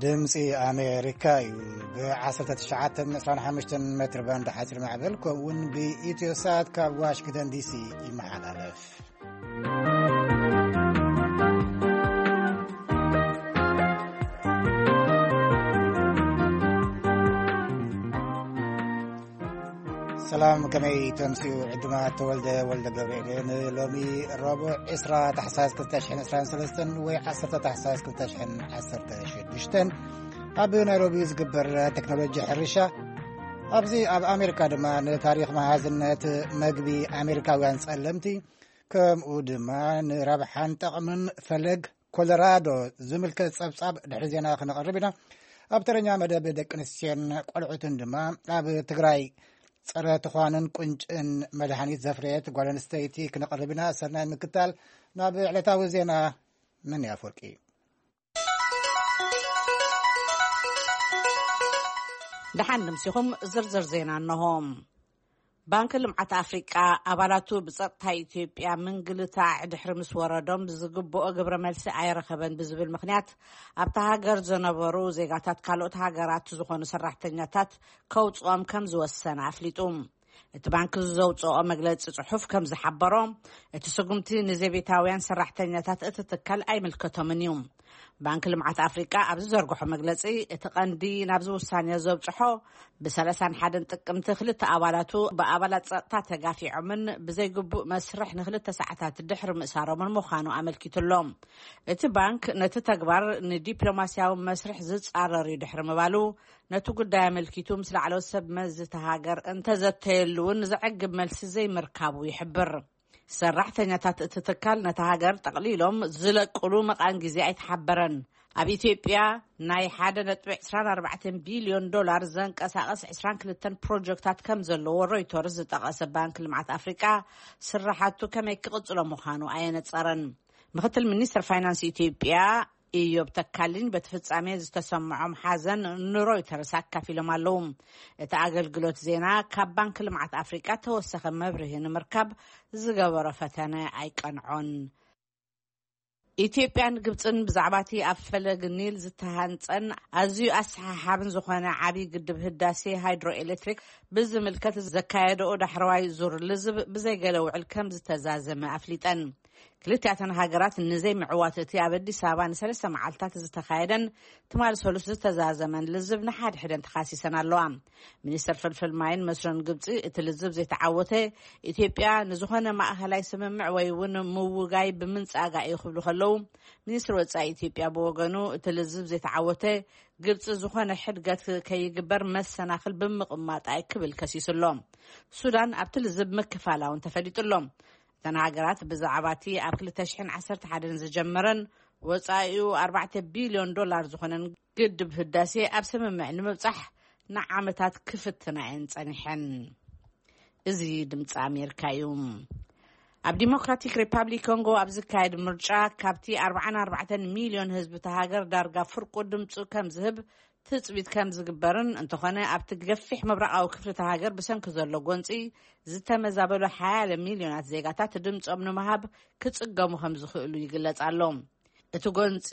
ድምፂ ኣሜሪካ እዩ። ብ19 25 ሜትር ባንድ ሓፂር ማዕበል፣ ከምኡ እውን ብኢትዮ ሳት ካብ ዋሽንግተን ዲሲ ይመሓላለፍ። ሰላም፣ ከመይ ተምስዩ? ዕዱማት ተወልደ ወልደ ገብርኤል። ንሎሚ ረቡዕ ዕስራ ታሕሳስ ክልተ ሽሕን ዕስራን ሰለስተን ወይ ዓሰርተ ታሕሳስ ክልተ ሽሕን ዓሰርተ ሽዱሽተን ኣብ ናይሮቢ ዝግበር ቴክኖሎጂ ሕርሻ፣ ኣብዚ ኣብ ኣሜሪካ ድማ ንታሪኽ መሃዝነት መግቢ ኣሜሪካውያን ጸለምቲ፣ ከምኡ ድማ ንረብሓን ጠቕምን ፈለግ ኮሎራዶ ዝምልከት ጸብጻብ ድሕሪ ዜና ክነቕርብ ኢና። ኣብ ተረኛ መደብ ደቂ ኣንስትዮን ቆልዑትን ድማ ኣብ ትግራይ ጸረ ትዃንን ቁንጭን መድሃኒት ዘፍረየት ጓል ኣንስተይቲ ክነቕርብ ኢና። ሰናይ ምክታል። ናብ ዕለታዊ ዜና። ምን ያፈወርቂ። ደሓን ንምሲኹም። ዝርዝር ዜና እንሆ። ባንክ ልምዓት ኣፍሪቃ ኣባላቱ ብጸጥታ ኢትዮጵያ ምንግልታዕ ድሕሪ ምስ ወረዶም፣ ዝግብኦ ግብረ መልሲ ኣይረኸበን ብዝብል ምኽንያት፣ ኣብታ ሃገር ዝነበሩ ዜጋታት ካልኦት ሃገራት ዝኾኑ ሰራሕተኛታት ከውጽኦም ከም ዝወሰነ ኣፍሊጡ። እቲ ባንክ ዘውጽኦ መግለጺ ጽሑፍ ከም ዝሓበሮ፣ እቲ ስጉምቲ ንዘቤታውያን ሰራሕተኛታት እቲ ትካል ኣይምልከቶምን እዩ። ባንክ ልምዓት ኣፍሪቃ ኣብ ዝዘርግሖ መግለጺ፣ እቲ ቀንዲ ናብዚ ውሳኔ ዘብጽሖ፣ ብ31 ጥቅምቲ ክልተ ኣባላቱ ብኣባላት ጸጥታ ተጋፊዖምን ብዘይግቡእ መስርሕ ንክልተ ሰዓታት ድሕሪ ምእሳሮምን ምዃኑ ኣመልኪቱ ኣሎ። እቲ ባንክ ነቲ ተግባር ንዲፕሎማስያዊ መስርሕ ዝጻረር እዩ ድሕሪ ምባሉ፣ ነቲ ጉዳይ ኣመልኪቱ ምስ ላዕለዎት ሰብ መዚ እታ ሃገር እንተዘተየሉ እውን ዘዕግብ መልሲ ዘይምርካቡ ይሕብር። ሰራሕተኛታት እቲ ትካል ነታ ሃገር ጠቕሊሎም ዝለቅሉ መቓን ግዜ ኣይተሓበረን። ኣብ ኢትዮጵያ ናይ ሓደ ነጥቢ ዕስራን ኣርባዕተን ቢልዮን ዶላር ዘንቀሳቐስ ዕስራን ክልተን ፕሮጀክታት ከም ዘለዎ ሮይተርስ ዝጠቐሰ ባንክ ልምዓት ኣፍሪቃ፣ ስራሓቱ ከመይ ክቕጽሎ ምዃኑ ኣየነጸረን። ምክትል ሚኒስትር ፋይናንስ ኢትዮጵያ ኢዮብ ተካልኝ በቲ ፍጻሜ ዝተሰምዖም ሓዘን ንሮይተርስ ኣካፊሎም ኣለዉ። እቲ ኣገልግሎት ዜና ካብ ባንክ ልምዓት ኣፍሪቃ ተወሰኸ መብርሂ ንምርካብ ዝገበሮ ፈተነ ኣይቀንዖን። ኢትዮጵያን ግብጽን ብዛዕባ እቲ ኣብ ፈለግ ኒል ዝተሃንጸን ኣዝዩ ኣሰሓሓብን ዝኾነ ዓቢ ግድብ ህዳሴ ሃይድሮ ኤሌክትሪክ ብዝምልከት ዘካየደኦ ዳሕረዋይ ዙር ልዝብ ብዘይገለ ውዕል ከም ዝተዛዘመ ኣፍሊጠን። ክልቲኣተን ሃገራት ንዘይምዕዋት እቲ ኣብ ኣዲስ ኣበባ ንሰለስተ መዓልታት ዝተኻየደን ትማሊ ሰሉስ ዝተዛዘመን ልዝብ ንሓድሕደን ተኻሲሰን ኣለዋ። ሚኒስተር ፍልፍል ማይን መስኖን ግብጺ፣ እቲ ልዝብ ዘይተዓወተ ኢትዮጵያ ንዝኾነ ማእኸላይ ስምምዕ ወይ እውን ምውጋይ ብምንጻጋ እዩ ክብሉ ከለዉ፣ ሚኒስትሪ ወጻኢ ኢትዮጵያ ብወገኑ፣ እቲ ልዝብ ዘይተዓወተ ግብጺ ዝኾነ ሕድገት ከይግበር መሰናኽል ብምቕማጣ እዩ ክብል ከሲሱ ኣሎ። ሱዳን ኣብቲ ልዝብ ምክፋላ እውን ተፈሊጡ ኣሎ። እተን ሃገራት ብዛዕባ እቲ ኣብ ክልተ ሽሕን ዓሰርተ ሓደን ዝጀመረን ወጻኢኡ ኣርባዕተ ቢልዮን ዶላር ዝኾነን ግድብ ህዳሴ ኣብ ስምምዕ ንምብጻሕ ንዓመታት ክፍትና እየን ጸኒሐን። እዚ ድምፂ ኣሜሪካ እዩ። ኣብ ዲሞክራቲክ ሪፓብሊክ ኮንጎ ኣብ ዝካየድ ምርጫ፣ ካብቲ ኣርባዓን ኣርባዕተን ሚልዮን ህዝቢ እታ ሃገር ዳርጋ ፍርቁ ድምፁ ከም ዝህብ ትፅቢት ከም ዝግበርን፣ እንተኾነ ኣብቲ ገፊሕ ምብራቓዊ ክፍሊ እታ ሃገር ብሰንኪ ዘሎ ጎንፂ ዝተመዛበሉ ሓያለ ሚልዮናት ዜጋታት ድምፆም ንምሃብ ክፅገሙ ከም ዝኽእሉ ይግለጽ ኣሎ። እቲ ጎንፂ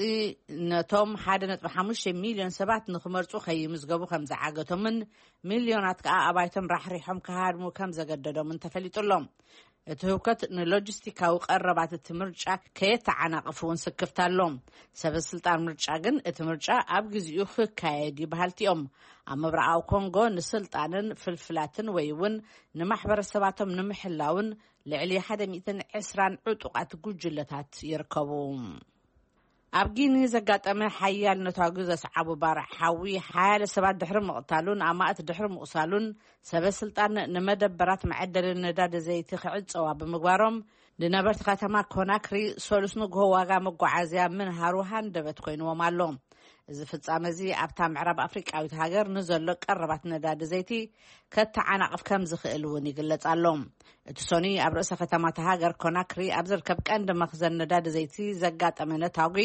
ነቶም ሓደ ነጥቢ ሓሙሽተ ሚልዮን ሰባት ንኽመርፁ ከይምዝገቡ ከም ዝዓገቶምን፣ ሚልዮናት ከኣ ኣባይቶም ራሕሪሖም ክሃድሙ ከም ዘገደዶምን ተፈሊጡ ኣሎ። እቲ ህውከት ንሎጂስቲካዊ ቀረባት እቲ ምርጫ ከየተዓናቕፍ እውን ስክፍታ ኣሎ። ሰበ ስልጣን ምርጫ ግን እቲ ምርጫ ኣብ ግዜኡ ክካየድ እዩ በሃልቲ እዮም። ኣብ ምብራቓዊ ኮንጎ ንስልጣንን ፍልፍላትን ወይ እውን ንማሕበረሰባቶም ንምሕላውን ልዕሊ ሓደ ሚእትን ዕስራን ዕጡቓት ጉጅለታት ይርከቡ። ኣብ ጊኒ ዘጋጠመ ሓያል ነታጒ ዘስዓቡ ባርዕ ሓዊ ሓያለ ሰባት ድሕሪ ምቕታሉን ኣማእት ድሕሪ ምቑሳሉን፣ ሰበ ስልጣን ንመደበራት መዐደሊ ነዳዲ ዘይቲ ክዕጸዋ ብምግባሮም፣ ንነበርቲ ከተማ ኮናክሪ ሰሉስ ንግሆ ዋጋ መጓዓዝያ ምንሃሩ ሃንደበት ኮይንዎም ኣሎ። እዚ ፍጻመ እዚ ኣብታ ምዕራብ ኣፍሪቃዊት ሃገር ንዘሎ ቀረባት ነዳዲ ዘይቲ ከተዓናቕፍ ከም ዝኽእል እውን ይግለጽ ኣሎ። እቲ ሰኑይ ኣብ ርእሰ ከተማ እታ ሃገር ኮናክሪ ኣብ ዝርከብ ቀንዲ መኽዘን ነዳዲ ዘይቲ ዘጋጠመ ነታጒ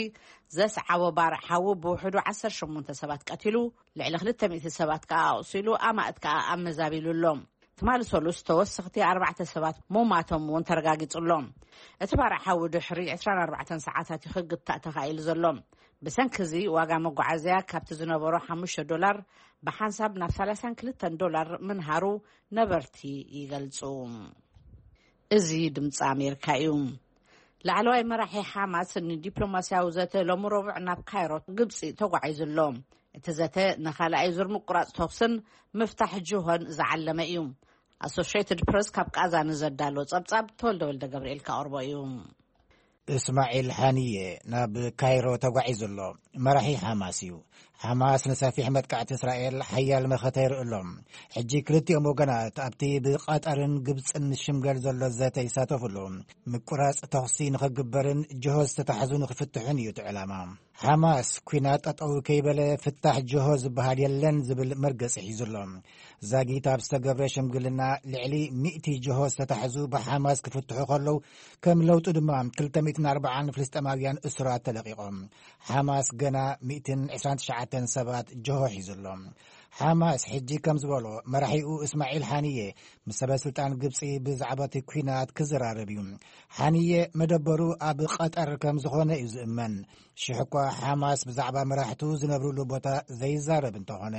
ዘስዓቦ ባርዕ ሓዊ ብውሕዱ ዓሰርተ ሸሞንተ ሰባት ቀቲሉ፣ ልዕሊ ክልተ ሚእቲ ሰባት ከኣ ኣቑሲሉ፣ ኣማእት ከኣ ኣመዛቢሉ ኣሎ። ትማሊ ሰሉስ ተወሰኽቲ ኣርባዕተ ሰባት ምሟቶም እውን ተረጋጊጹ ኣሎ። እቲ ባርዕ ሓዊ ድሕሪ ዕስራን ኣርባዕተን ሰዓታት እዩ ክግታእ ተኻኢሉ ዘሎ። ብሰንኪ እዚ ዋጋ መጓዓዝያ ካብቲ ዝነበሮ ሓሙሽተ ዶላር ብሓንሳብ ናብ ሰላሳን ክልተን ዶላር ምንሃሩ ነበርቲ ይገልጹ። እዚ ድምፂ ኣሜሪካ እዩ። ላዕለዋይ መራሒ ሓማስ ንዲፕሎማስያዊ ዘተ ሎሚ ረቡዕ ናብ ካይሮ፣ ግብፂ ተጓዒዙ ኣሎ። እቲ ዘተ ንኻልኣይ ዙር ምቁራፅ ተኹስን ምፍታሕ ጅሆን ዝዓለመ እዩ። ኣሶሽትድ ፕረስ ካብ ቃዛ ንዘዳሎ ጸብጻብ ተወልደ ወልደ ገብርኤል ከቕርቦ እዩ። እስማዒል ሓኒየ ናብ ካይሮ ተጓዒዙ ኣሎ። መራሒ ሓማስ እዩ። ሓማስ ንሰፊሕ መጥቃዕቲ እስራኤል ሓያል መኸተ ይርኢ ኣሎ። ሕጂ ክልቲኦም ወገናት ኣብቲ ብቐጠርን ግብፅን ዝሽምገል ዘሎ ዘተ ይሳተፉ ኣለዉ። ምቁራፅ ተኹሲ ንኽግበርን ጅሆ ዝተታሕዙ ንኽፍትሑን እዩ እቲ ዕላማ። ሓማስ ኲናት ጠጠው ከይበለ ፍታሕ ጅሆ ዝበሃል የለን ዝብል መርገፂ ሒዙ ኣሎ። ዛጊት ኣብ ዝተገብረ ሽምግልና ልዕሊ ሚእቲ ጅሆ ዝተታሕዙ ብሓማስ ክፍትሑ ከለዉ፣ ከም ለውጢ ድማ ክልተ ሚእትን ኣርባዓን ፍልስጤማውያን እሱራት ተለቒቖም። ሓማስ ገና ሚእትን ዕስራን ትሽዓተን ሰባት ጅሆ ሒዙ ኣሎ። ሓማስ ሕጂ ከም ዝበሎ፣ መራሒኡ እስማዒል ሓኒየ ምስ ሰበ ስልጣን ግብፂ ብዛዕባ እቲ ኲናት ክዘራረብ እዩ። ሓኒየ መደበሩ ኣብ ቀጠር ከም ዝኾነ እዩ ዝእመን። ሽሕ እኳ ሓማስ ብዛዕባ መራሕቱ ዝነብርሉ ቦታ ዘይዛረብ እንተኾነ፣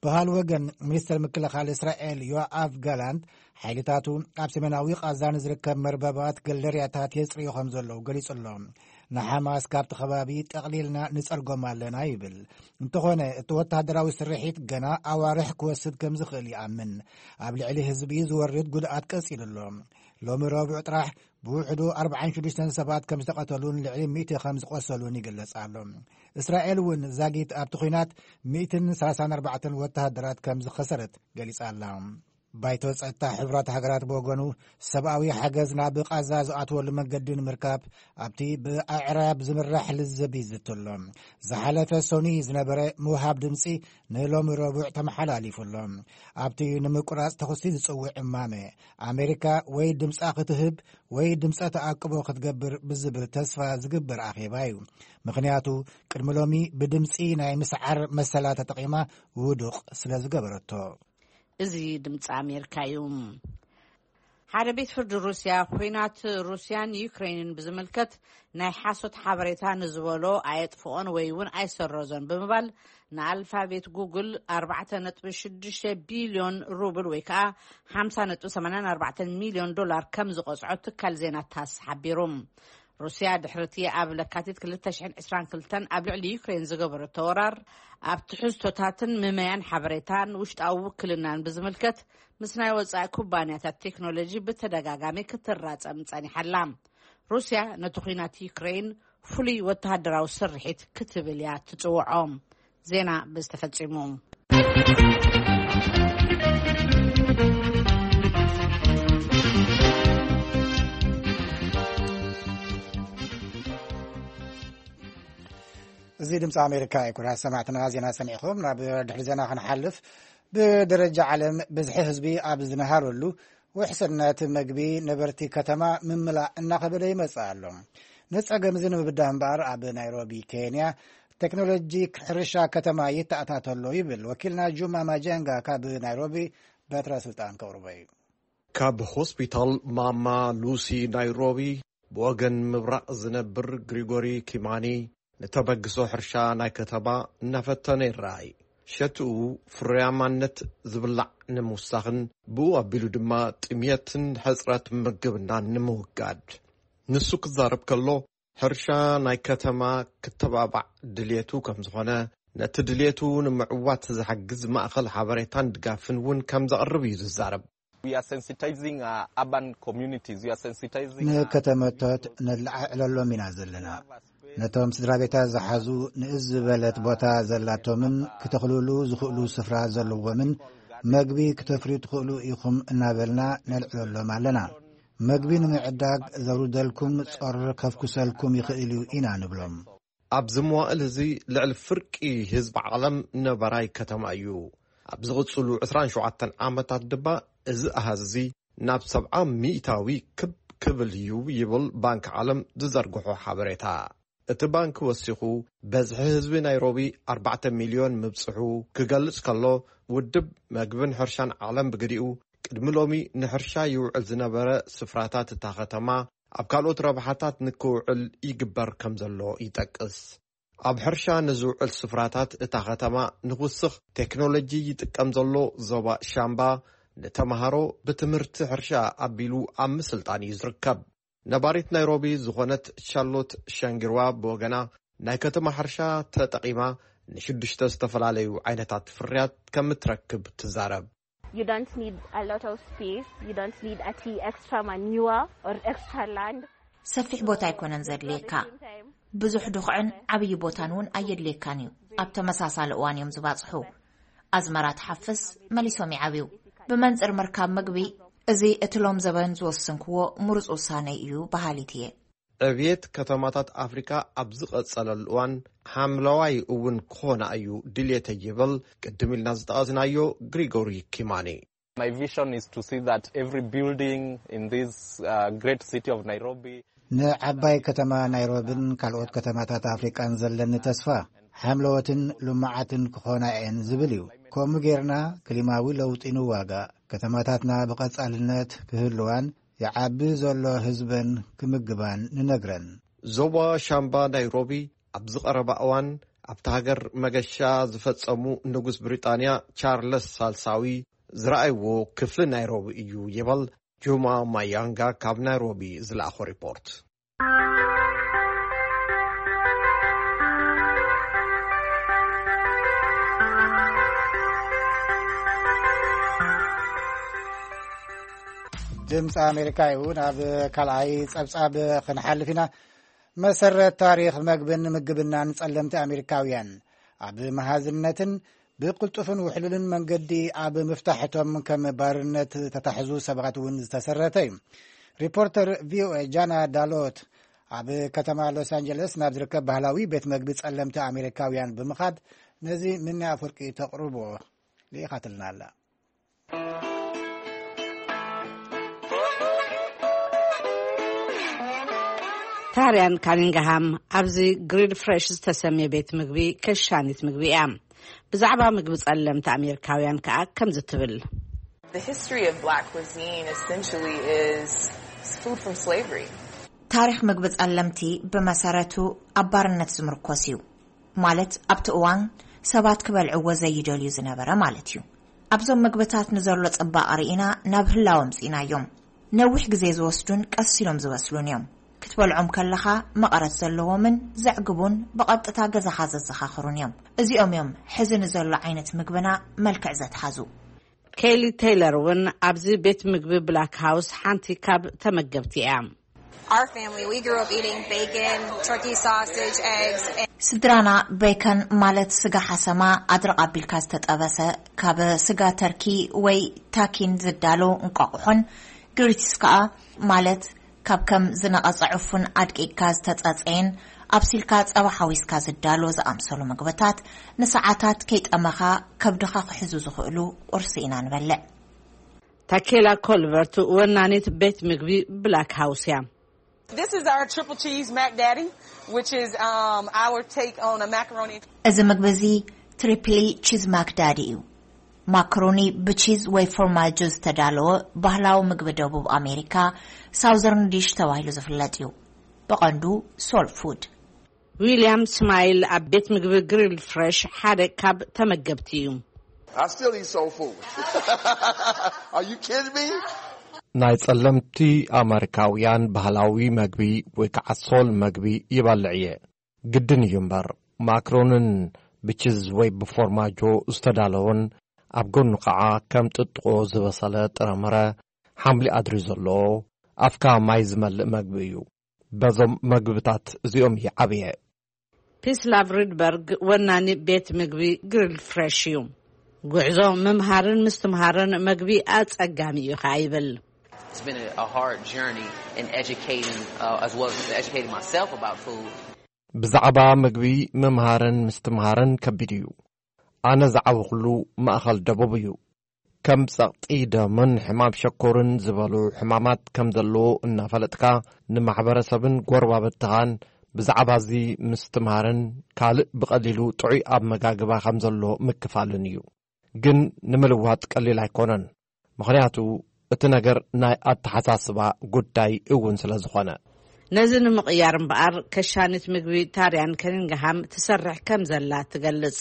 ብኻል ወገን ሚኒስተር ምክልኻል እስራኤል ዮኣቭ ጋላንት፣ ሓይልታቱ ኣብ ሰሜናዊ ቃዛ ንዝርከብ መርበባት ገለርያታት የጽርዩ ከም ዘለዉ ገሊጹ ኣሎ። ንሓማስ ካብቲ ከባቢ ጠቕሊልና ንጸርጎም ኣለና ይብል። እንተኾነ እቲ ወተሃደራዊ ስርሒት ገና ኣዋርሕ ክወስድ ከም ዝኽእል ይኣምን። ኣብ ልዕሊ ህዝቢ ዝወርድ ጉድኣት ቀጺሉ ኣሎ። ሎሚ ረቡዕ ጥራሕ ብውሕዱ ኣርባዓን ሽዱሽተን ሰባት ከም ዝተቐተሉን ልዕሊ ሚእቲ ከም ዝቖሰሉን ይግለጽ ኣሎ። እስራኤል እውን ዛጊት ኣብቲ ኲናት ሚእትን ሰላሳን ኣርባዕተን ወተሃደራት ከም ዝኸሰረት ገሊጻ ኣላ። ባይቶ ጸጥታ ሕቡራት ሃገራት ብወገኑ፣ ሰብኣዊ ሓገዝ ናብ ቃዛ ዝኣትወሉ መንገዲ ንምርካብ ኣብቲ ብኣዕራብ ዝምራሕ ልዝብ ይዝቲ ኣሎ። ዝሓለፈ ሰኑይ ዝነበረ ምውሃብ ድምጺ ንሎሚ ረቡዕ ተመሓላሊፉ ኣሎ። ኣብቲ ንምቁራጽ ተኹሲ ዝጽውዕ እማመ፣ ኣሜሪካ ወይ ድምጻ ክትህብ ወይ ድምጸ ተኣቅቦ ክትገብር ብዝብል ተስፋ ዝግበር ኣኼባ እዩ። ምኽንያቱ፣ ቅድሚ ሎሚ ብድምጺ ናይ ምስዓር መሰላ ተጠቒማ ውዱቕ ስለ ዝገበረቶ። እዚ ድምፂ ኣሜሪካ እዩ። ሓደ ቤት ፍርዲ ሩስያ፣ ኲናት ሩስያን ዩክሬንን ብዝምልከት ናይ ሓሶት ሓበሬታ ንዝበሎ ኣየጥፍኦን ወይ እውን ኣይሰረዞን ብምባል፣ ንኣልፋቤት ጉግል ኣርባዕተ ነጥቢ ሽዱሽተ ቢልዮን ሩብል ወይ ከዓ ሓምሳ ነጥቢ ሰማንያን ኣርባዕተን ሚልዮን ዶላር ከም ዝቐፅዖ ትካል ዜና ታስ ሓቢሩ። ሩስያ ድሕሪ እቲ ኣብ ለካቲት ክልተ ሽሕን ዕስራን ክልተን ኣብ ልዕሊ ዩክሬን ዝገበረቶ ወራር፣ ኣብ ትሕዝቶታትን ምመያን ሓበሬታን ውሽጣዊ ውክልናን ብዝምልከት ምስ ናይ ወጻኢ ኩባንያታት ቴክኖሎጂ ብተደጋጋሚ ክትራጸም ጸኒሓ ኣላ። ሩስያ ነቲ ኲናት ዩክሬን ፍሉይ ወተሃደራዊ ስርሒት ክትብል እያ ትጽውዖ። ዜና ብዝተፈጺሙ። እዚ ድምፂ ኣሜሪካ እዩ። ክቡራት ሰማዕትና፣ ዜና ሰሚዕኹም ናብ ድሕሪ ዜና ክንሓልፍ፣ ብደረጃ ዓለም ብዝሒ ህዝቢ ኣብ ዝነሃረሉ፣ ውሕስነት መግቢ ነበርቲ ከተማ ምምላእ እናኸበደ ይመጽእ ኣሎ። ንጸገም እዚ ንምብዳህ እምበኣር፣ ኣብ ናይሮቢ ኬንያ ቴክኖሎጂ ሕርሻ ከተማ ይተኣታተሎ ይብል ወኪልና ጁማ ማጀንጋ ካብ ናይሮቢ። በትረ ስልጣን ከቕርቦ እዩ። ካብ ሆስፒታል ማማ ሉሲ ናይሮቢ ብወገን ምብራቕ ዝነብር ግሪጎሪ ኪማኒ፣ ንተበግሶ ሕርሻ ናይ ከተማ እናፈተነ ይረኣይ። ሸትኡ፣ ፍርያማነት ዝብላዕ ንምውሳኽን ብኡ ኣቢሉ ድማ ጥምየትን ሕጽረት ምግብናን ንምውጋድ። ንሱ ክዛረብ ከሎ፣ ሕርሻ ናይ ከተማ ክተባባዕ ድልየቱ ከም ዝኾነ፣ ነቲ ድልየቱ ንምዕዋት ዝሕግዝ ማእኸል ሓበሬታን ድጋፍን እውን ከም ዘቕርብ እዩ ዝዛረብ። We are sensitizing, uh, urban communities. We are sensitizing, uh, ንከተመታት ነለዓዕለሎም ኢና ዘለና። ነቶም ስድራ ቤታት ዝሓዙ ንእስ ዝበለት ቦታ ዘላቶምን ክተኽልሉ ዝኽእሉ ስፍራ ዘለዎምን መግቢ ክተፍርዩ ትኽእሉ ኢኹም እናበልና ነልዕለሎም ኣለና። መግቢ ንምዕዳግ ዘውርደልኩም ጾር ከፍኩሰልኩም ይኽእል እዩ ኢና ንብሎም። ኣብዚ መዋእል እዚ ልዕሊ ፍርቂ ህዝቢ ዓለም ነባራይ ከተማ እዩ። ኣብ ዝቕጽሉ ዕስራን ሸውዓተን ዓመታት ድማ እዚ ኣሃዝ እዚ ናብ ሰብዓ ሚእታዊ ክብ ክብል እዩ ይብል ባንክ ዓለም ዝዘርግሖ ሓበሬታ። እቲ ባንክ ወሲኹ፣ በዝሒ ህዝቢ ናይሮቢ ኣርባዕተ ሚልዮን ምብጽሑ ክገልጽ ከሎ፣ ውድብ መግብን ሕርሻን ዓለም ብግዲኡ፣ ቅድሚ ሎሚ ንሕርሻ ይውዕል ዝነበረ ስፍራታት እታ ከተማ ኣብ ካልኦት ረብሓታት ንክውዕል ይግበር ከም ዘሎ ይጠቅስ። ኣብ ሕርሻ ንዝውዕል ስፍራታት እታ ከተማ ንኽውስኽ ቴክኖሎጂ ይጥቀም ዘሎ ዞባ ሻምባ፣ ንተምሃሮ ብትምህርቲ ሕርሻ ኣቢሉ ኣብ ምስልጣን እዩ ዝርከብ። ነባሪት ናይሮቢ ዝኾነት ቻርሎት ሻንጊርዋ ብወገና፣ ናይ ከተማ ሕርሻ ተጠቒማ ንሽዱሽተ ዝተፈላለዩ ዓይነታት ፍርያት ከም እትረክብ ትዛረብ። You don't need a lot of space. You don't need a t- extra manure or extra land. ሰፊሕ ቦታ ኣይኮነን ዘድልየካ። ብዙሕ ድኹዕን ዓብዪ ቦታን እውን ኣየድልየካን እዩ። ኣብ ተመሳሳሊ እዋን እዮም ዝባፅሑ። ኣዝመራ ትሓፍስ፣ መሊሶም ይዓብዩ። ብመንፅር ምርካብ ምግቢ፣ እዚ እቲ ሎም ዘበን ዝወሰንክዎ ምሩፅ ውሳነ እዩ በሃሊት እየ። ዕብየት ከተማታት ኣፍሪካ ኣብ ዝቐጸለሉ እዋን ሓምለዋይ እውን ክኾና እዩ ድልየተይ ይብል ቅድም ኢልና ዝጠቐስናዮ ግሪጎሪ ኪማኒ። My vision is to see that every building in this uh, great city of Nairobi ንዓባይ ከተማ ናይሮብን ካልኦት ከተማታት ኣፍሪቃን ዘለኒ ተስፋ ሓምለዎትን ልሙዓትን ክኾና እየን ዝብል እዩ። ከምኡ ጌርና ክሊማዊ ለውጢ ንዋጋእ፣ ከተማታትና ብቐጻልነት ክህልዋን ይዓቢ ዘሎ ህዝበን ክምግባን ንነግረን። ዞባ ሻምባ ናይሮቢ ኣብዚ ቀረባ እዋን ኣብቲ ሃገር መገሻ ዝፈጸሙ ንጉስ ብሪጣንያ ቻርለስ ሳልሳዊ ዝረኣይዎ ክፍሊ ናይሮቢ እዩ ይበል ጁማ ማያንጋ ካብ ናይሮቢ ዝለኣኾ ሪፖርት። ድምፂ ኣሜሪካ እዩ። ናብ ካልኣይ ጸብጻብ ክንሓልፍ ኢና። መሰረት ታሪኽ መግብን ምግብናን ጸለምቲ ኣሜሪካውያን ኣብ መሃዝነትን ብቕልጡፍን ውሕሉልን መንገዲ ኣብ ምፍታሕቶም ከም ባርነት ተታሕዙ ሰባት እውን ዝተሰረተ እዩ። ሪፖርተር ቪኦኤ ጃና ዳሎት ኣብ ከተማ ሎስ ኣንጀለስ ናብ ዝርከብ ባህላዊ ቤት መግቢ ጸለምቲ ኣሜሪካውያን ብምኻድ ነዚ ምኒ ኣፍወርቂ ተቕርቦ ልኢኻትልና ኣላ። ታርያን ካኒንግሃም ኣብዚ ግሪድ ፍሬሽ ዝተሰምየ ቤት ምግቢ ከሻኒት ምግቢ እያ። ብዛዕባ ምግቢ ጸለምቲ ኣሜሪካውያን ከኣ ከምዚ ትብል። The history of black cuisine essentially is food from slavery. ታሪኽ ምግቢ ጸለምቲ ብመሰረቱ ኣብ ባርነት ዝምርኮስ እዩ። ማለት ኣብቲ እዋን ሰባት ክበልዕዎ ዘይደልዩ ዝነበረ ማለት እዩ። ኣብዞም ምግብታት ንዘሎ ጽባቐ ርኢና ናብ ህላወ ኣምጺእናዮም። ነዊሕ ግዜ ዝወስዱን ቀስ ኢሎም ዝበስሉን እዮም። ክትበልዖም ከለኻ መቐረት ዘለዎምን ዘዕግቡን ብቐጥታ ገዛኻ ዘዘኻኽሩን እዮም። እዚኦም እዮም ሕዚ ንዘሎ ዓይነት ምግብና መልክዕ ዘትሓዙ። ኬሊ ቴይለር እውን ኣብዚ ቤት ምግቢ ብላክ ሃውስ ሓንቲ ካብ ተመገብቲ እያ። Our family, we grew up eating bacon, turkey sausage, eggs. And ስድራና ቤከን ማለት ስጋ ሓሰማ ኣድርቕ ኣቢልካ ዝተጠበሰ ካብ ስጋ ተርኪ ወይ ታኪን ዝዳሎ እንቋቑሖን ግሪትስ ከኣ ማለት ካብ ከም ዝነቐጸ ዕፉን ኣድቂቕካ ዝተጸጸየን ኣብሲልካ ጸባ ሓዊስካ ዝዳሎ ዝኣምሰሉ ምግብታት ንሰዓታት ከይጠመኻ ከብድኻ ክሕዙ ዝኽእሉ ቁርሲ ኢና ንበልዕ። ታኬላ ኮልቨርት ወናኒት ቤት ምግቢ ብላክ ሃውስ እያ። This is our triple cheese mac daddy, which is um, our take on a macaroni. እዚ ምግቢ እዚ ትሪፕሊ ቺዝ ማክዳዲ እዩ። ማክሮኒ ብቺዝ ወይ ፎርማጆ ዝተዳለወ ባህላዊ ምግቢ ደቡብ ኣሜሪካ ሳውዘርን ዲሽ ተባሂሉ ዝፍለጥ እዩ። ብቐንዱ ሶል ፉድ። ዊልያም ስማይል ኣብ ቤት ምግቢ ግሪል ፍሬሽ ሓደ ካብ ተመገብቲ እዩ። I still eat soul food. Are you kidding me? ናይ ጸለምቲ ኣመሪካውያን ባህላዊ መግቢ ወይ ከዓ ሶል መግቢ ይበልዕ እየ። ግድን እዩ እምበር፣ ማክሮንን ብቺዝ ወይ ብፎርማጆ ዝተዳለወን ኣብ ጎኑ ከዓ ከም ጥጥቆ ዝበሰለ ጥረምረ፣ ሓምሊ ኣድሪ ዘለዎ፣ ኣፍካ ማይ ዝመልእ መግቢ እዩ። በዞም መግብታት እዚኦም ይዓብየ። ፒስላቭ ሪድበርግ ወናኒ ቤት ምግቢ ግሪል ፍሬሽ እዩ። ጉዕዞ ምምሃርን ምስትምሃርን መግቢ ኣጸጋሚ እዩ ከኣ ይብል። It's been a, a hard journey in educating, uh, as well as educating myself about food. ብዛዕባ ምግቢ ምምሃርን ምስትምሃርን ከቢድ እዩ። ኣነ ዝዓበኹሉ ማእኸል ደቡብ እዩ። ከም ጸቕጢ ደምን ሕማም ሸኮርን ዝበሉ ሕማማት ከም ዘለዎ እናፈለጥካ ንማሕበረሰብን ጎረባብትኻን ብዛዕባ እዚ ምስትምሃርን ካልእ ብቐሊሉ ጥዑይ ኣመጋግባ ከም ዘሎ ምክፋልን እዩ። ግን ንምልዋጥ ቀሊል ኣይኮነን። ምኽንያቱ እቲ ነገር ናይ ኣተሓሳስባ ጉዳይ እውን ስለ ዝኾነ። ነዚ ንምቕያር እምበኣር፣ ከሻኒት ምግቢ ታርያን ከኒንግሃም ትሰርሕ ከም ዘላ ትገልጽ።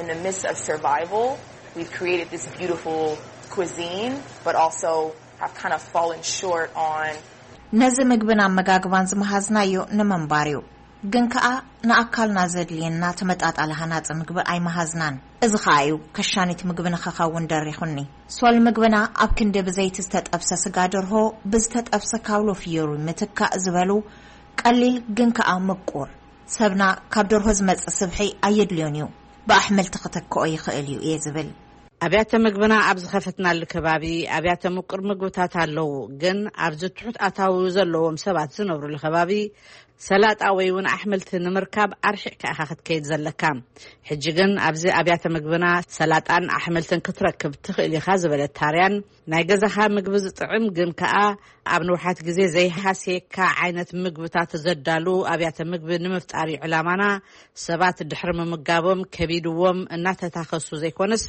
In the midst of survival, we've created this beautiful cuisine, but also have kind of fallen short on ነዚ ምግብን ኣመጋግባን ዝመሃዝናዮ ንምንባር እዩ። ግን ከኣ ንኣካልና ዘድልየና ተመጣጣሊ ሃናጺ ምግቢ ኣይመሃዝናን። እዚ ከኣ እዩ ከሻኒት ምግቢ ንኸኸውን ደሪኹኒ። ሶል ምግብና ኣብ ክንዲ ብዘይቲ ዝተጠብሰ ስጋ ደርሆ፣ ብዝተጠብሰ ካውሎ ፍዮሪ ምትካእ ዝበሉ ቀሊል ግን ከኣ ምቁር። ሰብና ካብ ደርሆ ዝመጽእ ስብሒ ኣየድልዮን እዩ። ብኣሕምልቲ ክተክኦ ይኽእል እዩ እየ ዝብል። ኣብያተ ምግብና ኣብ ዝኸፈትናሉ ከባቢ ኣብያተ ምቁር ምግብታት ኣለዉ፣ ግን ኣብዚ ትሑት ኣታዊ ዘለዎም ሰባት ዝነብሩሉ ከባቢ ሰላጣ ወይ እውን ኣሕምልቲ ንምርካብ ኣርሒቕካ ኢኻ ክትከይድ ዘለካ። ሕጂ ግን ኣብዚ ኣብያተ ምግብና ሰላጣን ኣሕምልትን ክትረክብ ትኽእል ኢኻ ዝበለት ታርያን፣ ናይ ገዛኻ ምግቢ ዝጥዕም ግን ከኣ ኣብ ንውሓት ግዜ ዘይሃስየካ ዓይነት ምግብታት ዘዳሉ ኣብያተ ምግቢ ንምፍጣር እዩ ዕላማና። ሰባት ድሕሪ ምምጋቦም ከቢድዎም እናተታኸሱ ዘይኮነስ፣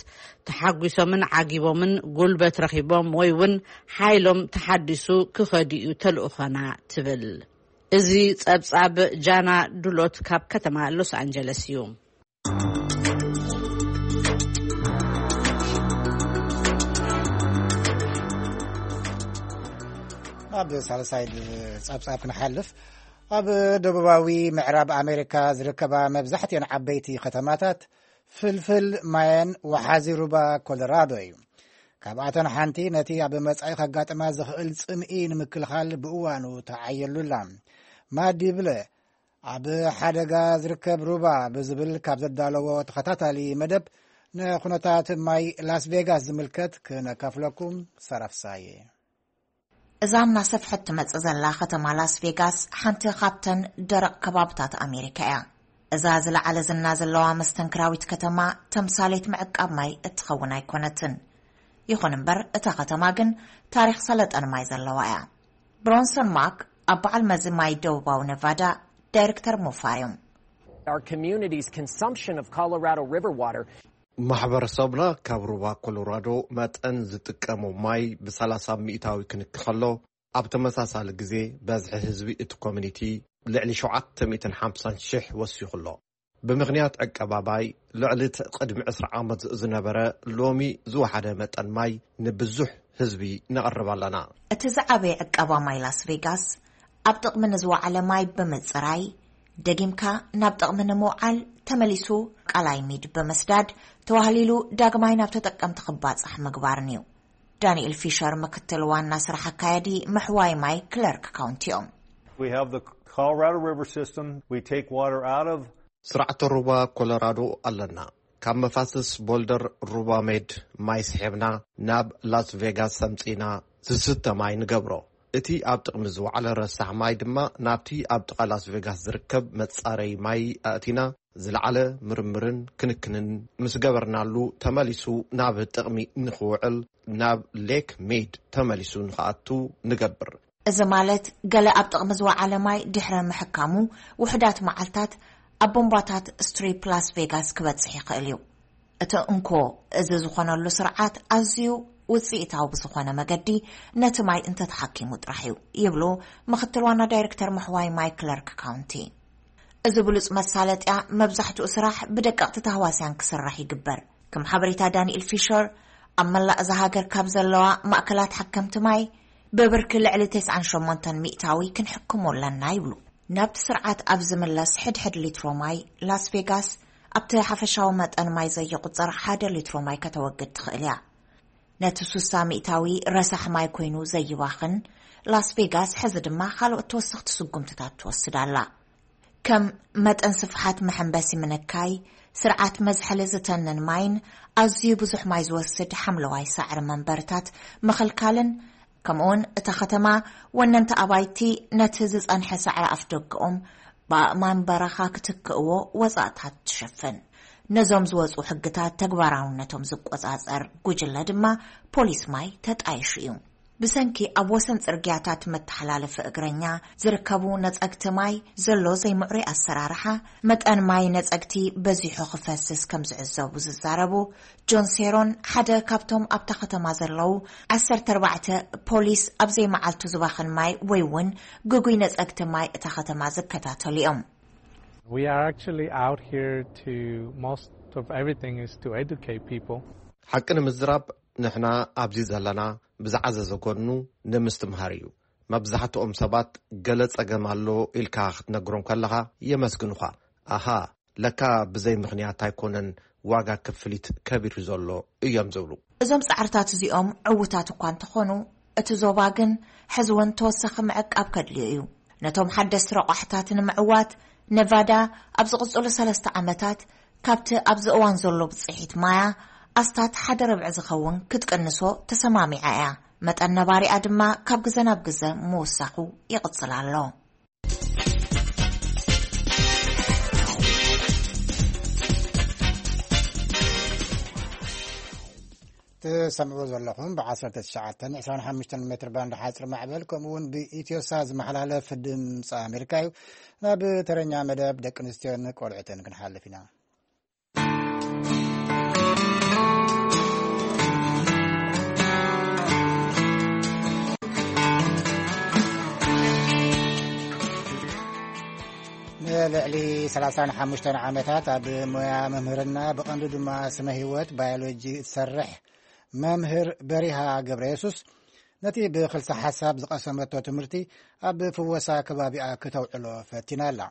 ተሓጒሶምን ዓጊቦምን ጉልበት ረኺቦም ወይ እውን ሓይሎም ተሓዲሱ ክኸዱ እዩ ተልእኾና ትብል። እዚ ጸብጻብ ጃና ዱሎት ካብ ከተማ ሎስ ኣንጀለስ እዩ። ኣብ ሳልሳይ ጸብጻብ ክንሓልፍ፣ ኣብ ደቡባዊ ምዕራብ ኣሜሪካ ዝርከባ መብዛሕትኤን ዓበይቲ ከተማታት ፍልፍል ማየን ወሓዚ ሩባ ኮሎራዶ እዩ። ካብኣተን ሓንቲ ነቲ ኣብ መጻኢ ከጋጥማ ዝኽእል ጽምኢ ንምክልኻል ብእዋኑ ተዓየሉላ። ማዲ ብለ ኣብ ሓደጋ ዝርከብ ሩባ ብዝብል ካብ ዘዳለዎ ተኸታታሊ መደብ፣ ንኹነታት ማይ ላስ ቬጋስ ዝምልከት ክነካፍለኩም ሰረፍሳየ። እዛ እናሰፍሐት ትመጽእ ዘላ ከተማ ላስ ቬጋስ ሓንቲ ካብተን ደረቕ ከባብታት ኣሜሪካ እያ። እዛ ዝለዓለ ዝና ዘለዋ መስተንክራዊት ከተማ ተምሳሌት ምዕቃብ ማይ እትኸውን ኣይኮነትን። ይኹን እምበር እታ ከተማ ግን ታሪኽ ሰለጠን ማይ ዘለዋ እያ። ብሮንሰን ማክ ኣብ በዓል መዚ ማይ ደቡባዊ ነቫዳ ዳይሬክተር ሞፋር እዮም። Our community's consumption of Colorado River water ማሕበረሰብና ካብ ሩባ ኮሎራዶ መጠን ዝጥቀሞ ማይ ብ30 ሚእታዊ ክንክ ከሎ፣ ኣብ ተመሳሳሊ ግዜ በዝሒ ህዝቢ እቲ ኮሚኒቲ ልዕሊ ሸውዓተ ሚእትን ሓምሳን ሽሕ ወሲኹ ኣሎ። ብምኽንያት ዕቀባ ማይ፣ ልዕሊ እቲ ቅድሚ ዕስራ ዓመት ዝነበረ ሎሚ ዝወሓደ መጠን ማይ ንብዙሕ ህዝቢ ነቕርብ ኣለና። እቲ ዝዓበየ ዕቀባ ማይ ላስ ቬጋስ ኣብ ጥቕሚ ንዝወዓለ ማይ ብምጽራይ፣ ደጊምካ ናብ ጥቕሚ ንምውዓል፣ ተመሊሱ ቃላይ ሚድ ብምስዳድ፣ ተዋህሊሉ ዳግማይ ናብ ተጠቀምቲ ክባጻሕ ምግባርን እዩ። ዳንኤል ፊሸር ምክትል ዋና ስራሕ ኣካያዲ ምሕዋይ ማይ ክለርክ ካውንቲ እዮም። We have the Colorado River system. We take water out of ስርዓተ ሩባ ኮሎራዶ ኣለና። ካብ መፋስስ ቦልደር ሩባ ሜድ ማይ ስሒብና ናብ ላስ ቬጋስ ሰምጺና ዝስተ ማይ ንገብሮ። እቲ ኣብ ጥቕሚ ዝወዓለ ረሳሕ ማይ ድማ ናብቲ ኣብ ጥቓ ላስ ቬጋስ ዝርከብ መጻረይ ማይ ኣእቲና ዝለዓለ ምርምርን ክንክንን ምስ ገበርናሉ ተመሊሱ ናብ ጥቕሚ ንኽውዕል ናብ ሌክ ሜድ ተመሊሱ ንኽኣቱ ንገብር። እዚ ማለት ገለ ኣብ ጥቕሚ ዝወዓለ ማይ ድሕሪ ምሕካሙ ውሑዳት መዓልታት ኣብ ቦምባታት ስትሪፕ ላስ ቬጋስ ክበጽሕ ይኽእል እዩ። እቲ እንኮ እዚ ዝኾነሉ ስርዓት ኣዝዩ ውጽኢታዊ ብዝኾነ መገዲ ነቲ ማይ እንተተሓኪሙ ጥራሕ እዩ ይብሉ ምኽትል ዋና ዳይሬክተር ምሕዋይ ማይ ክለርክ ካውንቲ። እዚ ብሉጽ መሳለጥያ መብዛሕትኡ ስራሕ ብደቀቕቲ ታህዋስያን ክስራሕ ይግበር። ከም ሓበሬታ ዳንኤል ፊሸር ኣብ መላእ እዛ ሃገር ካብ ዘለዋ ማእከላት ሓከምቲ ማይ ብብርኪ ልዕሊ ተስዓን ሸሞንተን ሚእታዊ ክንሕክሞ ኣለና ይብሉ። ናብቲ ስርዓት ኣብ ዝምለስ ሕድሕድ ሊትሮ ማይ ላስ ቬጋስ ኣብቲ ሓፈሻዊ መጠን ማይ ዘየቑጽር ሓደ ሊትሮ ማይ ከተወግድ ትኽእል እያ። ነቲ ሱሳ ሚእታዊ ረሳሕ ማይ ኮይኑ ዘይባኽን ላስ ቬጋስ ሕዚ ድማ ካልኦት ተወሰኽቲ ስጉምትታት ትወስድ ኣላ። ከም መጠን ስፍሓት መሐንበሲ ምንካይ፣ ስርዓት መዝሐሊ ዝተንን ማይን ኣዝዩ ብዙሕ ማይ ዝወስድ ሓምለዋይ ሳዕሪ መንበርታት ምኽልካልን፣ ከምኡውን እታ ከተማ ወነንቲ ኣባይቲ ነቲ ዝጸንሐ ሳዕሪ ኣፍደገኦም ብኣእማን በረኻ ክትክእዎ ወጻእታት ትሸፍን። ነዞም ዝወጹ ሕግታት ተግባራውነቶም ዝቆጻጸር ጉጅለ ድማ ፖሊስ ማይ ተጣይሹ እዩ። ብሰንኪ ኣብ ወሰን ጽርግያታት መተሓላለፊ እግረኛ ዝርከቡ ነጸግቲ ማይ ዘሎ ዘይምዕሩይ ኣሰራርሓ፣ መጠን ማይ ነጸግቲ በዚሑ ክፈስስ ከም ዝዕዘቡ ዝዛረቡ ጆን ሴሮን፣ ሓደ ካብቶም ኣብታ ከተማ ዘለዉ ዓሰርተ ኣርባዕተ ፖሊስ ኣብ ዘይመዓልቱ ዝባኽን ማይ ወይ እውን ግጉይ ነጸግቲ ማይ እታ ከተማ ዝከታተሉ እዮም። We are actually out here to, most of everything is to educate people. ሓቂ ንምዝራብ፣ ንሕና ኣብዚ ዘለና ብዝዓዘዘ ጎኑ ንምስትምሃር እዩ። መብዛሕትኦም ሰባት ገለ ጸገም ኣሎ ኢልካ ክትነግሮም ከለኻ የመስግኑኻ። ኣሃ፣ ለካ ብዘይ ምኽንያት ኣይኮነን ዋጋ ክፍሊት ከቢሩ ዘሎ እዮም ዝብሉ። እዞም ጻዕርታት እዚኦም ዕዉታት እኳ እንተኾኑ፣ እቲ ዞባ ግን ሕዚ እውን ተወሳኺ ምዕቃብ ከድልዮ እዩ። ነቶም ሓደስቲ ረቋሕታት ንምዕዋት፣ ነቫዳ ኣብ ዝቕጽሉ ሰለስተ ዓመታት ካብቲ ኣብዚ እዋን ዘሎ ብጽሒት ማያ ኣስታት ሓደ ርብዒ ዝኸውን ክትቅንሶ ተሰማሚዓ እያ። መጠን ነባሪኣ ድማ ካብ ግዘ ናብ ግዘ ምውሳኹ ይቕጽል ኣሎ። ትሰምዕዎ ዘለኹም ብ19 25 ሜትር ባንድ ሓፂር ማዕበል፣ ከምኡ እውን ብኢትዮሳ ዝመሓላለፍ ድምፂ ኣሜሪካ እዩ። ናብ ተረኛ መደብ ደቂ ኣንስትዮን ቆልዑትን ክንሓልፍ ኢና። ንልዕሊ 35 ዓመታት ኣብ ሞያ መምህርና፣ ብቐንዱ ድማ ስነ ህይወት ባዮሎጂ እትሰርሕ መምህር በሪሃ ገብረ የሱስ፣ ነቲ ብክልሰ ሓሳብ ዝቐሰመቶ ትምህርቲ ኣብ ፍወሳ ከባቢኣ ክተውዕሎ ፈቲና ኣላ።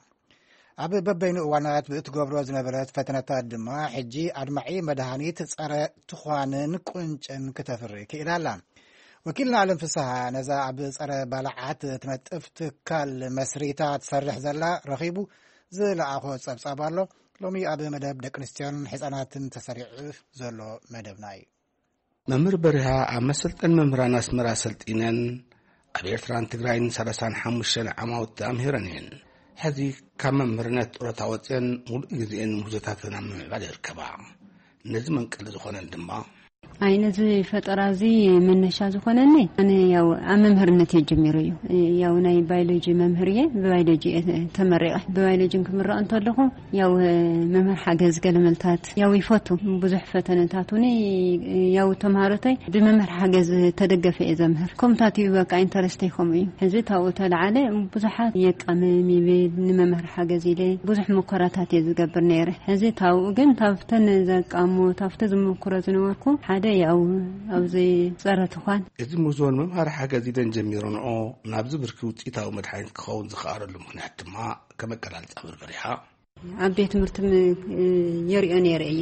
ኣብ በበይኑ እዋናት ብእትገብሮ ዝነበረት ፈተነታት ድማ፣ ሕጂ ኣድማዒ መድሃኒት ጸረ ትዃንን ቁንጭን ክተፍሪ ክኢላ ኣላ። ወኪልና ኣለም ፍስሃ፣ ነዛ ኣብ ጸረ ባልዓት ትነጥፍ ትካል መስሪታ ትሰርሕ ዘላ ረኺቡ ዝለኣኾ ጸብጻብ ኣሎ። ሎሚ ኣብ መደብ ደቂ ኣንስትዮን ሕጻናትን ተሰሪዑ ዘሎ መደብና እዩ። መምህር በሪሃ ኣብ መሰልጠን መምህራን ኣስመራ ሰልጢነን፣ ኣብ ኤርትራን ትግራይን 35 ዓማውቲ ኣምሂረን እየን። ሕዚ ካብ መምህርነት ጡረታ ወፅየን፣ ሙሉእ ግዜኤን ምህዞታተን ኣብ ምምዕባል ይርከባ። ነዚ መንቀሊ ዝኾነን ድማ፣ ኣይ፣ ነዚ ፈጠራ እዚ መነሻ ዝኾነኒ፣ ኣነ ያው ኣብ መምህርነት እየ ጀሚሩ እዩ። ያው ናይ ባዮሎጂ መምህር እየ፣ ብባዮሎጂ እየ ተመሪቐ። ብባዮሎጂ ክምረቕ እንተለኹ፣ ያው መምህር ሓገዝ ገለመልታት ያው ይፈቱ። ብዙሕ ፈተነታት እውን ያው ተምሃሮተይ ብመምህር ሓገዝ ተደገፈ እየ ዘምህር። ከምኡታት እዩ በቃ ኢንተረስተይ ከምኡ እዩ። ሕዚ ታብኡ ተለዓለ ብዙሓት የቃምም ይብል ንመምህር ሓገዝ ኢለ ብዙሕ ሙከራታት እየ ዝገብር ነይረ። ሕዚ ታብኡ ግን ታብተን ዘቃሞ፣ ታብተ ዝምክሮ ዝነበርኩ ሓደ ያው ኣብዚ ጸረ ትዃን። እዚ ምህዞን መምሃሪ ሓገዝ ኢለን ጀሚረንኦ ናብዚ ብርኪ ውፅኢታዊ መድሓኒት ክኸውን ዝኸኣለሉ ምኽንያት ድማ ከም ኣገላልጻ መምህር በሪሃ። ኣብ ቤት ትምህርቲ ም-፣ የርእዮ ነይረ እየ።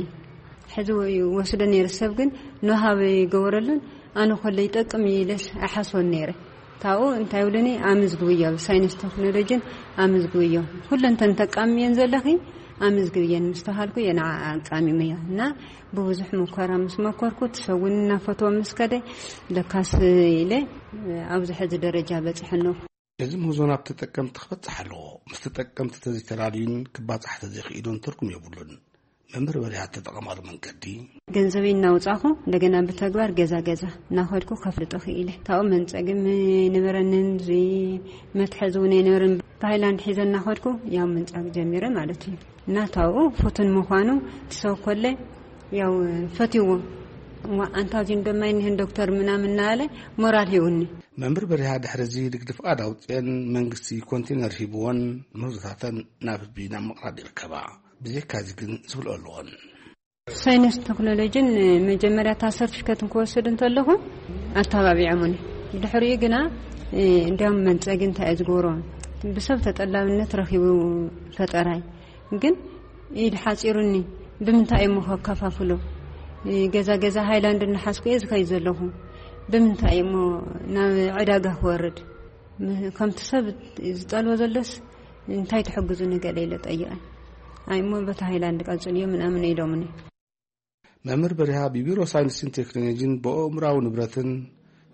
ሕዚ ወ-፣ ወስዶ ነይረ ሰብ ግን ንሃበ ይገበረሉን ኣነ ኮለ ይጠቅም እዩ ኢለስ ኣይሓስቦን ነይረ። ታብኡ እንታይ ይብሉኒ፣ ኣመዝግብዮ፣ ሳይንስ ቴክኖሎጂን ኣመዝግብዮ። ኩለንተን ተቃምየን ዘለኺ ኣመዝግብየን ምስ ተሃልኩ እየ ንዓ ኣቃሚመዮ። እና ብብዙሕ መኮራ ምስ መኮርኩ፣ እቲ ሰብ እውን እናፈትዎ ምስ ከደ፣ ለካስ ኢለ ኣብዚ ሕዚ ደረጃ በፂሐ ኣለኹ። እዚ ምህዞ ናብ ተጠቀምቲ ክበጽሕ ኣለዎ። ምስ ተጠቀምቲ ተዘይተላልዩን ክባጻሕ ተዘይኽኢሉን ትርጉም የብሉን። መምህር በሪሃ እተጠቐማሉ መንገዲ፣ ገንዘበይ እናውጻኹ እንደገና ብተግባር ገዛ ገዛ እናኸድኩ ከፍልጦ ክኢለ። ታብኡ መንጸግም ኣይነበረንን፣ እዚ መትሐዚ እውን ኣይነበረን። ብሃይላንድ ሒዘ እናኸድኩ ያው መንጻግ ጀሚረ ማለት እዩ። እና ታብኡ ፍቱን ምዃኑ ትሰብ ኮለ ያው ፈትይዎ። እዋ፣ ኣንታ እዚን ደማ ይንህን ዶክተር ምናምን እናበለ ሞራል ሂቡኒ። መምህር በሪሃ ድሕሪ እዚ ንግዲ ፍቓድ ኣውፅአን መንግስቲ ኮንቴነር ሂብዎን ምህዞታተን ናብ ህዝቢ ናብ ምቕራብ ይርከባ። ብዘይካ እዚ ግን ዝብልኦ ኣለዎን። ሳይንስ ቴክኖሎጂን መጀመርያ እታ ሰርቲፊኬት ክወስድ እንተለኹ ኣተባቢዖምኒ። ድሕሪኡ ግና፣ እ፣ እንዲያውም መንፀጊ እንታይ እየ ዝገብሮ፣ ብሰብ ተጠላብነት ረኺቡ ፈጠራይ። ግን ኢድ ሓፂሩኒ። ብምንታይ እሞ ከከፋፍሎ? ገዛ ገዛ ሃይላንድ እናሓዝኩ እየ ዝኸይድ ዘለኹ። ብምንታይ እሞ ናብ ዕዳጋ ክወርድ? ም-፣ ከምቲ ሰብ ዝጠልቦ ዘሎስ እንታይ ትሕግዙ ንገለ ኢለ ጠይቐ። ኣይ እሞ በቲ ሃይላንድ ቀፅልዮ ምናምን ኢሎምኒ። መምህር በሪሃ ብቢሮ ሳይንስን ቴክኖሎጂን ብኣእምራዊ ንብረትን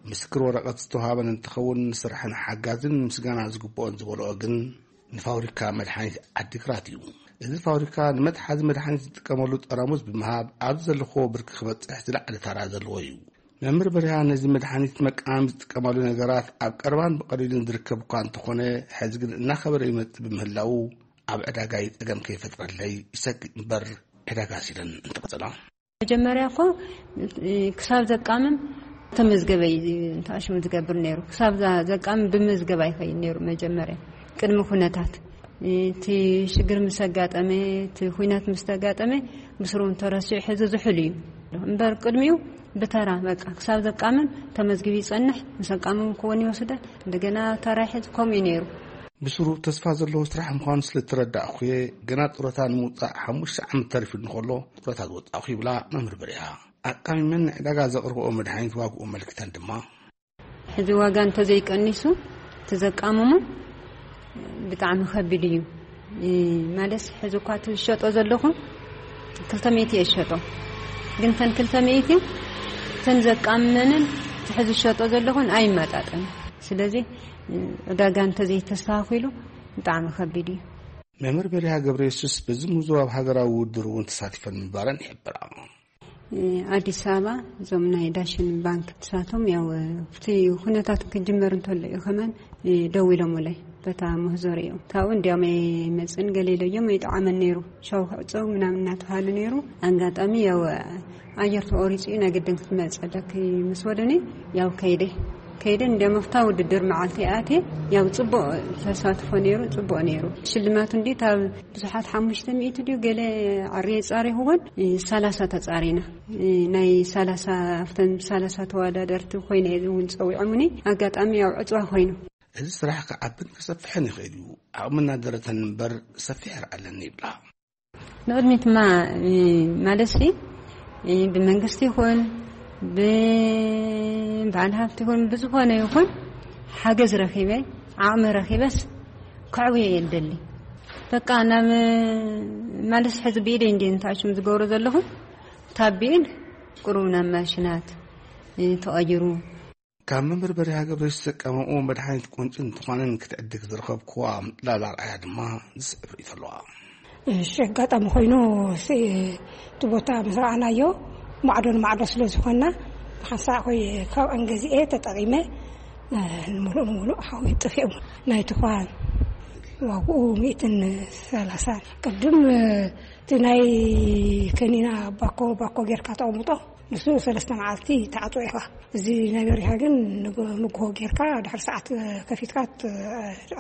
ምስክር ወረቐት ዝተውሃበን እንትኸውን፣ ንስራሕን ሓጋዝን ምስጋና ዝግብኦን ዝበልኦ ግን ንፋብሪካ መድሓኒት ዓዲግራት እዩ። እዚ ፋብሪካ ንመትሓዚ መድሓኒት ዝጥቀመሉ ጠራሙዝ ብምሃብ ኣብዚ ዘለኽዎ ብርኪ ክበፅሕ ዝለዓለ ታራ ዘለዎ እዩ። መምህር በሪሃ ነዚ መድሓኒት መቃም ዝጥቀማሉ ነገራት ኣብ ቀረባን ብቐሊልን ዝርከብ እኳ እንተኾነ፣ ሕዚ ግን እናኸበረ ይመጽእ ብምህላው ኣብ ዕዳጋይ ጸገም ከይፈጥረለይ ይሰግእ እምበር ዕዳጋ ሲለን እንተቐጸላ። መጀመርያ እኮ ክሳብ ዘቃምም ተመዝገበ እዩ እንተኣሽሙ ዝገብር ነይሩ። ክሳብ ዘቃምም ብምዝገብ ኣይኸይድ ነይሩ። መጀመርያ ቅድሚ ኩነታት እቲ ሽግር ምስ ኣጋጠመ፣ እቲ ኩናት ምስ ተጋጠመ፣ ብስሩ ተረሲዑ ሕዚ ዝሑል እዩ። እምበር ቅድሚኡ ብተራ በቃ ክሳብ ዘቃምም ተመዝጊቡ ይጸንሕ፣ ምስ ኣቃምም ክወን ይወስደ፣ እንደገና ተራ ይሕዝ፣ ከምኡ እዩ ነይሩ። ብስሩ ተስፋ ዘለዎ ስራሕ ምዃኑ ስለ እተረዳእኩ እየ፣ ገና ጡረታ ንምውጻእ ሓሙሽተ ዓመት ተሪፉ እንከሎ ጡረታ ዝወጻእኩ ይብላ መምህር በሪሃ። ኣቃሚመን ንዕዳጋ ዘቕርብኦ መድሓኒት ዋግኡ ኣመልኪተን ድማ። ሕዚ ዋጋ እንተዘይቀኒሱ፣ ትዘቃምሙ ብጣዕሚ ከቢድ እዩ። እ፣ ማለት ሕዚ እኳ ትሸጦ ዘለኹ ክልተ ሚእቲ እየ ዝሸጦ። ግን ተን ክልተ ሚእቲ ተን ዘቃምመንን እቲ ሕዚ ዝሸጦ ዘለኹን ኣይመጣጠን። ስለዚ፣ እ፣ ዕዳጋ እንተዘይተስተኻኺሉ ብጣዕሚ ከቢድ እዩ። መምህር በሪሃ ገብረ የሱስ በዚ ምዝዋብ ሃገራዊ ውድድር እውን ተሳቲፈን ምንባረን ይሕብራ። እ፣ ኣዲስ ኣበባ እዞም ናይ ዳሽን ባንክ ንሳቶም ያው፣ እ፣ እቲ ኩነታት ክጅመር እንተሎ እዩ ከማን፣ እ፣ ደዊሎምለይ በታ ምህዞ ርእዮም። ካብኡ እንዲያውም ኣይመጽእን ገለ ኢለዮም ኣይጠዓመን ነይሩ። ሻው ክዕጸው ምናምን እናተባሃሉ ነይሩ። ኣጋጣሚ ያው፣ ኣየር ተቖሪጹ እዩ፣ ናይ ግድን ክትመጽእ ኣለኪ ምስ በሉኒ፣ ያው ከይደ። ከይደ እንዲያውም ኣብታ ውድድር መዓልቲ ኣትየ፣ ያው ጽቡቕ ተሳትፎ ነይሩ፣ ጽቡቕ ነይሩ። ሽልማቱ እንዲ ካብ ብዙሓት ሓሙሽተ ሚእቲ ድዩ ገለ ዓርየ ጻሪኹወን፣ እ፣ ሰላሳ ተጻሪና። እ፣ ናይ ሰላሳ፣ ኣብተን ሰላሳ ተወዳደርቲ ኮይነ እውን ጸዊዖምኒ። ኣጋጣሚ ያው ዕጽዋ ኮይኑ። እዚ ስራሕ ክዓብን ክሰፍሕን ይኽእል እዩ። ዓቕሚ እናደረተን እምበር ሰፊሕ ራኢ ኣለኒ ይብላ። ንቕድሚትማ፣ እ፣ ማለትሲ፣ እ፣ ብመንግስቲ ይኹን፣ ብበዓል ሃብቲ ይኹን፣ ብዝኾነ ይኹን ሓገዝ ረኺበ፣ ዓቕሚ ረኺበስ ከዕውዮ እየ ዝደሊ። በቃ ናብ፣ ማለትሲ ሕዚ ብኢደይ እንድየ ንትኣሽም ዝገብሮ ዘለኹ፣ ታቢን ቁሩብ ናብ ማሽናት፣ እ፣ ተቐይሩ። ካብ መምህር በሪሃ ገብረየሱስ ዘቃመምዎ መድሓኒት ቁንጪ እንትኾነን ክትዕድግ ዝረኸብክዋ ላላ ኣርኣያ ድማ ዝስዕብ ርእይቶ ኣለዋ። እሺ፣ ኣጋጣሚ ኮይኑ፣ ሲ-፣ እቲ ቦታ ምስ ረኣናዮ ማዕዶ ንማዕዶ ስለ ዝኾንና፣ ብሓንሳእ ኮይ ካብኣን ገዚኤ ተጠቒመ፣ እ፣ ንምሉእ ንምሉእ ሓዊ ጠፊኦም። ናይ ትኳን ዋግኡ ሚእትን ሰላሳን። ቅድም፣ እ፣ እቲ ናይ ከኒና ባኮ፣ ባኮ ጌርካ ተቐምጦ፣ ንሱ ሰለስተ መዓልቲ ተዓጽዎ ኢኻ። እዚ ናይ በሪሃ ግን ንግ-፣ ንግሆ ጌርካ ድሕሪ ሰዓት ከፊትካ ት-፣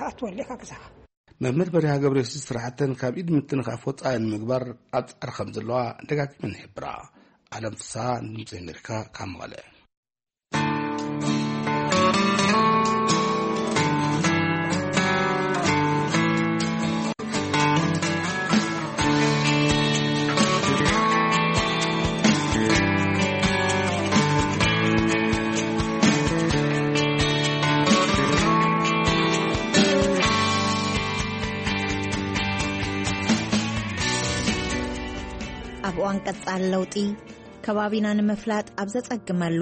ኣትወሉ ኢኻ ገዛኻ። መምህር በሪሃ ገብረየሱስ ስራሕተን ካብ ኢድ ምትንኻፍ ወጻኢ ንምግባር ኣብ ጻዕሪ ከም ዘለዋ ደጋጊመን ይሕብራ። ኣለም ፍስሃ፣ ድምፂ ኣሜሪካ፣ ካብ መቐለ። ኣብ እዋን ቀጻሊ ለውጢ፣ ከባቢና ንምፍላጥ ኣብ ዘጸግመሉ፣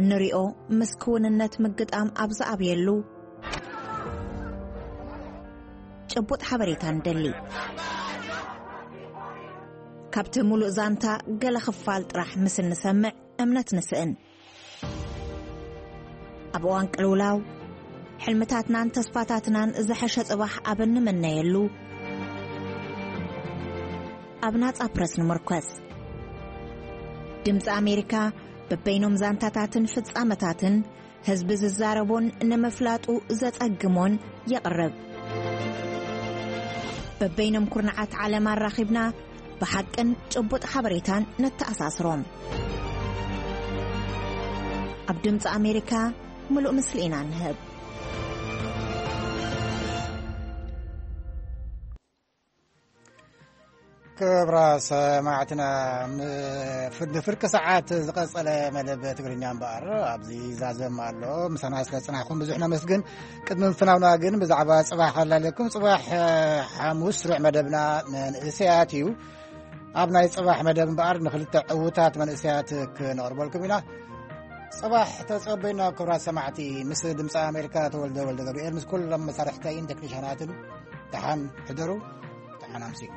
እንሪኦ ምስ ክውንነት ምግጣም ኣብ ዝኣብየሉ፣ ጭቡጥ ሓበሬታ ንደሊ። ካብቲ ሙሉእ ዛንታ ገለ ክፋል ጥራሕ ምስ እንሰምዕ እምነት ንስእን። ኣብ እዋን ቅልውላው፣ ሕልምታትናን ተስፋታትናን ዝሐሸ ጽባሕ ኣብ እንምነየሉ፣ ኣብ ናጻ ፕረስ ንምርኮስ። ድምጺ ኣሜሪካ በበይኖም ዛንታታትን ፍጻመታትን ህዝቢ ዝዛረቦን ንምፍላጡ ዘጸግሞን የቕርብ። በበይኖም ኩርናዓት ዓለም ኣራኺብና ብሓቅን ጭቡጥ ሓበሬታን ነተኣሳስሮም። ኣብ ድምጺ ኣሜሪካ ምሉእ ምስሊ ኢና ንህብ። ክብራ ሰማዕትና፣ ም-፣ ፍ-፣ ንፍርቂ ሰዓት ዝቐጸለ መደብ ትግርኛ እምበኣር ኣብዚ ይዛዘም ኣሎ። ምሳና ስለ ጽናሕኩም ብዙሕ ነመስግን። ቅድሚ ምፍናውና ግን ብዛዕባ ጽባሕ ከላልየኩም። ጽባሕ፣ እ፣ ሓሙስ ስሩዕ መደብና መንእሰያት እዩ። ኣብ ናይ ጽባሕ መደብ እምበኣር ንኽልተ ዕዉታት መንእሰያት ክነቕርበልኩም ኢና። ጽባሕ ተጸበዩና ክቡራት ሰማዕቲ። ምስ ድምፂ ኣሜሪካ ተወልደ ወልደ ገብርኤል፣ ምስ ኩሎም መሳርሕተይን ቴክኒሻናትን ደሓን ሕደሩ፣ ደሓን ኣምስዩ።